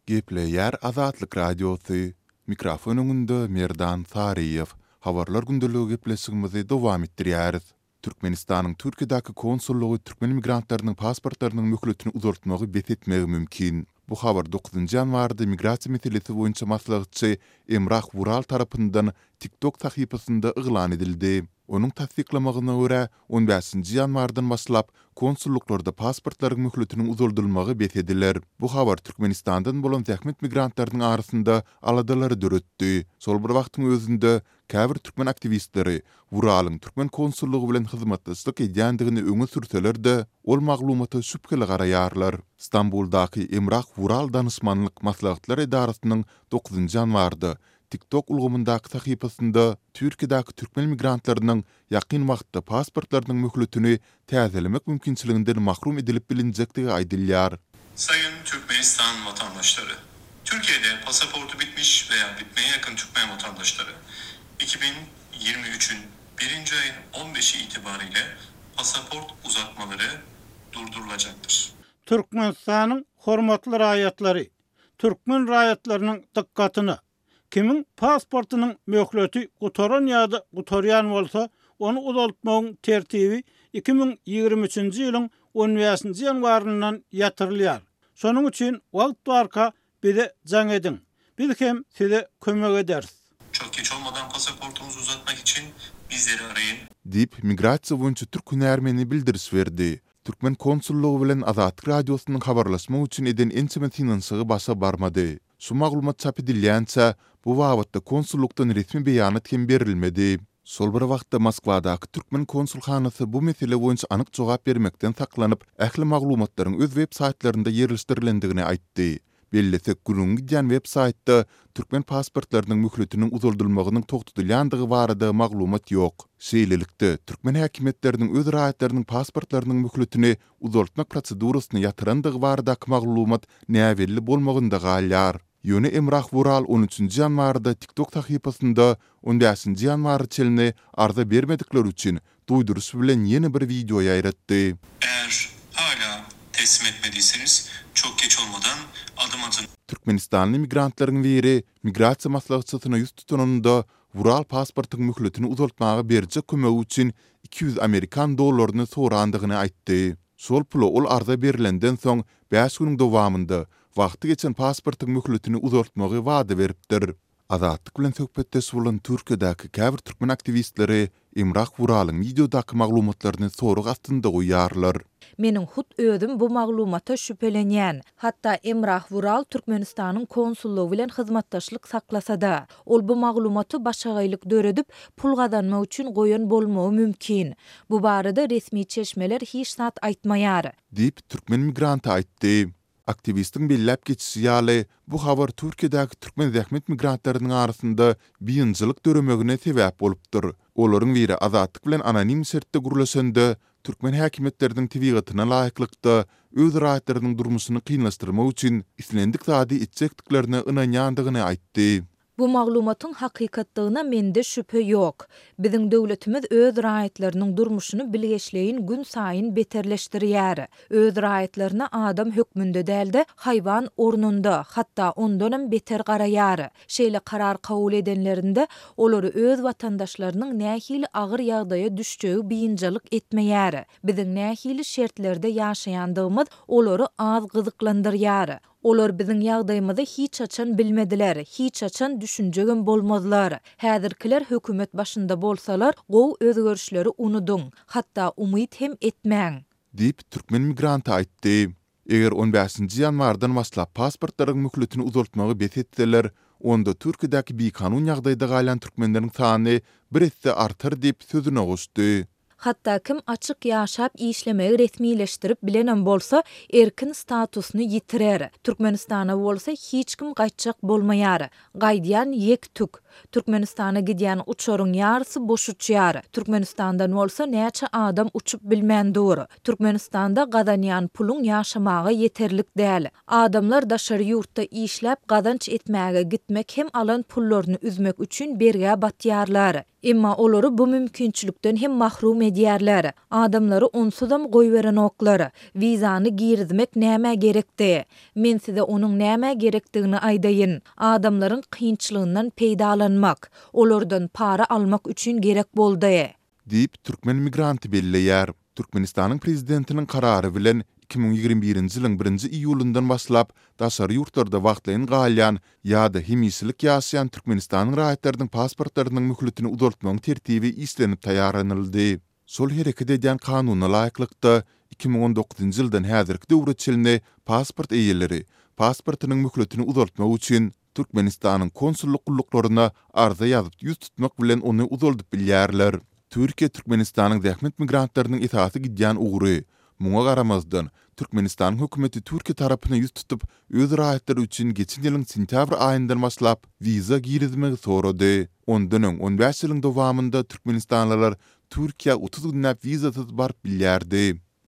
Gepleýär Azatlyk Radiosy, Mikrofon öňünde Merdan Saryýew. Habarlar gündeligi gepleşigimizi dowam etdirýäris. Türkmenistanyň Türkiýedäki konsullygy türkmen migrantlarynyň pasportlarynyň möhletini uzaltmagy bes etmegi mümkin. Bu habar dokuzynjy ýanwarda migrasiýa meselesi boýunça maslahatçy Emrah Wural tarapyndan TikTok sahypasynda yglan edildi. Onuň tassyklamagyna görä, on bäşinji ýanwardan başlap, konsullyklarda pasportlaryň möhletiniň uzaldylmagy bes ediler. Bu habar Türkmenistandan bolan zähmet migrantlarynyň arasynda aladalary döretdi. Şol bir wagtyň özünde, käbir türkmen aktiwistleri Wuralyň türkmen konsullygy bilen hyzmatdaşlyk edýändigini öňe sürseler-de, ol maglumata şübheli garaýarlar. Stambuldaky Emrah Wural danyşmanlyk maslahatlar edarasynyň dokuzynjy ýanwarda TikTok ulgamyndaky sahypasynda Türkiýedäki türkmen migrantlarynyň ýakyn wagtda pasportlarynyň möhletini täzelemek mümkinçiliginden mahrum edilip bilinjekdigi aýdylýar. Sayın Türkmenistan vatandaşları! Türkiye'de pasaportu bitmiş veya bitmeye yakın Türkmen vatandaşları 2023'ün birinci ayın 15'i itibariyle pasaport uzatmaları durdurulacaktır. Türkmenistanyň hormatly raýatlary! Türkmen raýatlarynyň dykgatyna! Kimiň pasportynyň möhleti gutaran ýa-da gutarýan bolsa, ony uzaltmagyň tertibi 2023-nji ýylyň on bäşinji ýanwaryndan ýatyrylýar. Şonuň üçin wagt barka bize jaň ediň. Biz hem size kömek ederis. Çok geç olmadan pasaportunuzu uzatmak için bizleri arayın. Diýip, migrasiýa boýunça türk hünärmeni bildiriş berdi. Türkmen konsullygy bilen Azatlyk Radiosynyň habarlaşmak üçin eden ençeme synanyşygy başa barmady. Şu maglumat çap edilýänçä, bu babatda konsullykdan resmi beýanat hem berilmedi. Şol bir wagtda, Moskwadaky türkmen konsulhanasy bu mesele boýunça anyk jogap bermekden saklanyp, ähli maglumatlaryň öz web saýtlarynda ýerleşdirilendigini aýtdy. Bellesek, gürrüňi gidýän web saýtda türkmen pasportlarynyň möhletiniň uzaldylmagynyň togtadylýandygy barada maglumat ýok. Şeýlelikde, türkmen häkimiýetleriniň öz raýatlarynyň pasportlarynyň möhletini uzaltmak prosedurasyny ýatyrandygy baradaky maglumat näbelli bolmagynda galýar. Ýöne Emrah Wural on üçünji ýanwarda TikTok sahypasynda on bäşinji ýanwara çenli arza bermedikler üçin duýduryş bilen ýene bir wideo ýaýratdy. Eğer hala teslim etmediyseniz çok geç olmadan adım atın. Türkmenistanly migrantlaryň biri migrasiýa maslahatçysyna ýüz tutanynda, Wural pasportyň möhletini uzaltmaga berjek kömegi üçin 200 amerikan dollaryny sorandygyny aýtdy. Şol pula ol arza berlenden soň bäş günüň dowamynda wagty geçen pasportyň möhletini uzaltmagy wada beripdir. Azatlyk bilen söhbetdeş bolan Türkiýedäki käbir türkmen aktiwistleri Emrah Wuralyň wideodaky maglumatlaryny sorag astynda goýýarlar. Meniň hut özüm bu maglumata şübhelenýän. Hatda Emrah Wural Türkmenistanyň konsullygy bilen hyzmatdaşlyk saklasada, ol bu maglumaty başagaýlyk döredip, pul gazanmak üçin goýan bolmagy mümkin. Bu barada resmi çeşmeler hiç zat aýtmaýar. Diýip, türkmen migranty aýtdy. Aktiwistiň belläp geçişi ýaly, bu habar Türkiýedäki türkmen zähmet migrantlarynyň arasynda biynjylyk döremegine sebäp bolupdyr. Olaryň biri Azatlyk bilen anonim şertde gürleşende, türkmen häkimiýetleriniň tebigatyna laýyklykda, öz raýatlarynyň durmuşyny kynlaşdyrmak üçin islendik zady etjekdiklerine ynanýandygyny aýtdy. Bu maglumatyň hakykatdygyna mende şübhe ýok. Biziň döwletimiz öz raýatlarynyň durmuşyny bilgeşleýin günsaýyn beterleşdirýär. Öz raýatlaryna adam hökmünde däl-de, haýwan ornunda, hatda ondanam beter garaýar. Şeýle karar kabul edenlerinde, olary öz watandaşlarynyň nähili agyr ýagdaýa düşjegi biynjalyk etmeýär. Biziň nähili şertlerde ýaşaýandygymyz olary az gyzyklandyrýar. Olar biziň ýagdaýymyzy hiç haçan bilmediler, hiç haçan düşünjegem bolmazlar. Häzirkiler hökümet başynda bolsalar, gowy özgerişleri unudyň, hatda umyt hem etmäň. Diýip, türkmen migranty aýtdy. Eger on bäşinji ýanwardan başlap pasportlaryň möhletini uzaltmagy bes etseler, onda Türkiýedäki bikanun ýagdaýda galýan türkmenleriň sany bir esse artar diýip, sözüne goşdy. Hatda kim açyk ýaşap işlemegi resmileşdirip bilenem bolsa, erkin statusyny ýitirer. Türkmenistana bolsa hiç kim gaýtjak bolmaýar. Gaýdýan ýek-tük. Türkmenistana gidýän uçaryň ýarysy boş uçýar. Türkmenistandan bolsa näçe adam uçup bilmän dur. Türkmenistanda gazanýan puluň ýaşamaga ýeterlik däl. Adamlar daşary ýurtda işläp gazanç etmäge gitmek hem alan pullaryny üzmek üçin bergä batýarlar. Emma olary bu mümkinçilikden hem mahrum edýärler. edýärler. Adamlary onsuzam goýberenoklar. Wizany girizmek nämä gerekdi? Men size onuň nämä gerekdigini aýdaýyn. Adamlaryň kynçylygyndan peýdalanmak, olardan para almak üçin gerek boldy. Diýip, türkmen migranty belleýär. Türkmenistanyň Prezidentiniň Karary bilen, 2021-nji ýylyň birinji iýulyndan başlap, daşary ýurtlarda wagtlaýyn galýan ýa-da hemişelik ýaşaýan Türkmenistanyň raýatlarynyň pasportlarynyň möhletini uzaltmagyň tertibi işlenip taýýarlanyldy. Şol hereket edýän kanuna laýyklykda, 2019-njy ýyldan häzirki döwre çenli pasport eýeleri pasportynyň möhletini uzaltmak üçin Türkmenistanyň konsullyk gulluklaryna arza ýazyp ýüz tutmak bilen ony uzaldyp bilýärler. Türkiýe Türkmenistanyň zähmet migrantlarynyň esasy gidýän ugry. Muňa garamazdan, Türkmenistanyň hökümeti Türkiýe tarapyna ýüz tutup, öz raýatlary üçin geçen ýylyň sentýabr aýyndan başlap wiza girizmegi sorady. Ondan öň on bäş ýylyň dowamynda türkmenistanlylar Türkiýä 30 günläp wizasyz baryp bilýärdi.